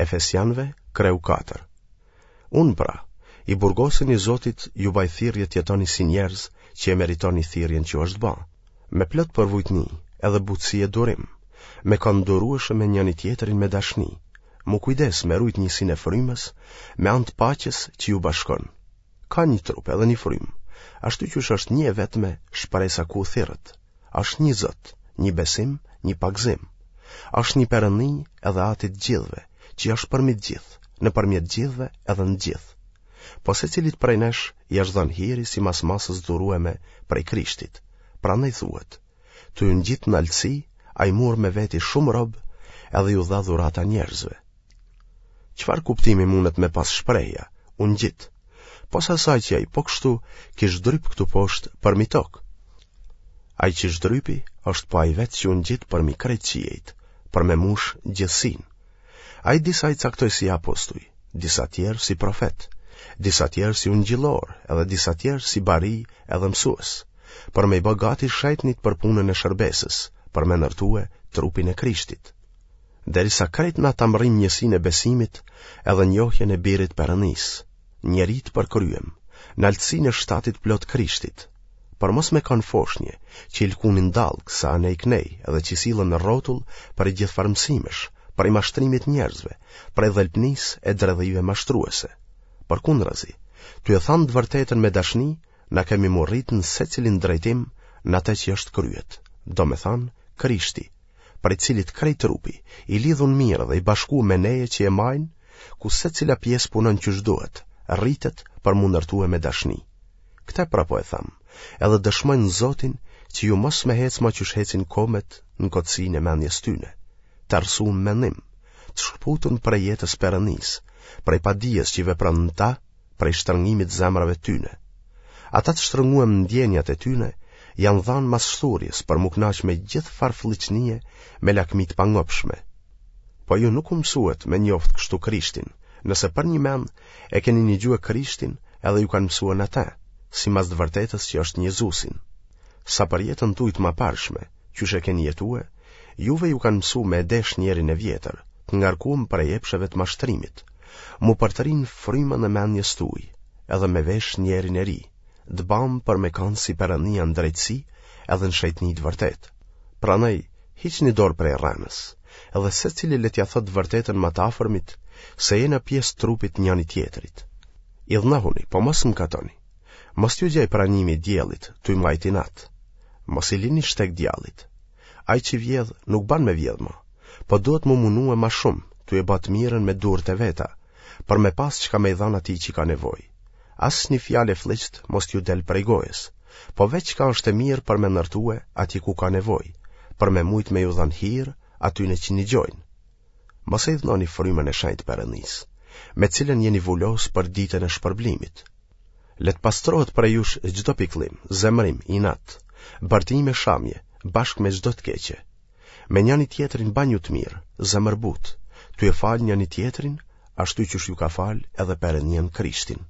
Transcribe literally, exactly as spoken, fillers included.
Efesianëve, kreu katër. Unë pra, i burgosuni i Zotit, ju baj thirrje të jetoni si njerëz që e meritoni thirrjen që ju është ba, me plot përvujtni, edhe butësi e durim, me kanë durueshëm me njëni-tjetrin me dashni, m'u kujdes me rujt njësinë e frymës, me anë të paqes që ju bashkon. Ka një trup edhe një frymë, ashtu qysh është një e vetme shpresa ku u thirrët. Është një Zot, një besim, një pagëzim. Është një Perëndi edhe Ati i të gjithëve, që është përmi të gjithë, nëpërmjet të gjithëve edhe në të gjithë. Po secilit prej nesh i është dhënë hiri simas masës dhurueme prej Krishtit. Prandaj thuhet: Tu u ngjit në naltësi, ai mur me veti shumë rob edhe ju dha dhurata njerëzve. Çfarë kuptimi mundet me pas shprehja, u ngjit, pos asaj që ai po kështu kish zdryp këtu poshtë përmi tokë? Ai që zdrypi është po ai vetë që u ngjit përmi krejt qiejt, për me mush gjithësinë. Ai disa i caktoi si apostuj, disa tjerë si profet, disa tjerë si ungjillor, edhe disa tjerë si bari edhe mësues, për me i bë gati shejtnit për punën e shërbesës, për me ndërtue trupin e Krishtit. Derisa krejt na ta mrrim njësinë e besimit edhe njohjen e birit Perëndisë, njeri të përkryem, naltësinë e shtatit plot Krishtit, për mos me kanë foshnje, që i lkunin dallgë sa anej knej edhe që sillen rrotull prej gjithfarë mësimesh, prej mashtrimit njerëzve, prej dhelpnisë e dredhive mashtruese. Përkundrazi, tu e thanë të vërtetën me dashni, na kemi m'u rritë në secilin drejtim në atë që është kryet, domethanë Krishti, prej cilit krejt trupi, i lidhun mirë dhe i bashku me neje që e majnë, ku secila pjesë punon qysh duhet, rritet për m'u ndërtue me dashni. Këtë pra po e tham, edhe dëshmoj në Zotin që ju mos me hec ma qysh hecin komet në kotësinë e mendjes tyne, të errësum mendim, të shkëputun prej jetës Perëndisë, prej padijes që vepron në ta, prej shtrëngimit zemrave tyne. Ata të shtrënguem në ndjenjat e tyne, janë dhanë mas shthurjes për m'u knaq me gjithfarë flliqnie me lakmi të pangopshme. Po ju nuk u mësuet me njoft kështu Krishtin, nëse përnjëmend e keni nigjue Krishtin edhe ju kanë mësue në te, simas të vërtetës që është në Jezusin. Sa për jetën tuj të maparshme, qysh e keni jetue, juve ju kanë mësu me e desh njerin e vjetër, të ngarkuem prej epsheve të mashtrimit, m'u përtëri në frymën e mendjes tuj, edhe me vesh njerin e ri, të bamë për me kanë si Perëndia në drejtësi edhe në shejtni të vërtetë. Prandaj, hiqni dorë prej rrenës, edhe secili le t'ia thotë të vërtetën më të afërmit, se jena pjesë trupit njëni-tjetrit. Idhnohuni, po mos mëkatoni. Mos t'ju gjej pranimi i diellit, tuj majt inat. Mos i lini shteg djallit. Ai që vjedh nuk ban me vjedh ma, po duhet m'u munue ma shumë, tu e ba të mirën me durët e veta, për me pas çka me i dhanë atij që ka nevojë. Asnjë fjalë e flliqt mos t'ju del prej gojës, po veç çka është e mirë për me ndërtue atje ku ka nevojë, për me mujt me ju dhanë hir atyne që nigjojnë. Mos e idhnoni frymën e shenjtë Perëndisë, me cilën jeni vulos për ditën e shpërblimit. Le të pastrohet prej jush çdo pikëllim, zemërim, inat, bërtim e shamje, bashkë me çdo të keqe. Me njëni tjetrin banju të mirë, zemërbutë, tu e falë njëni tjetrin, ashtu qysh ju ka falë edhe Perëndia në Krishtin.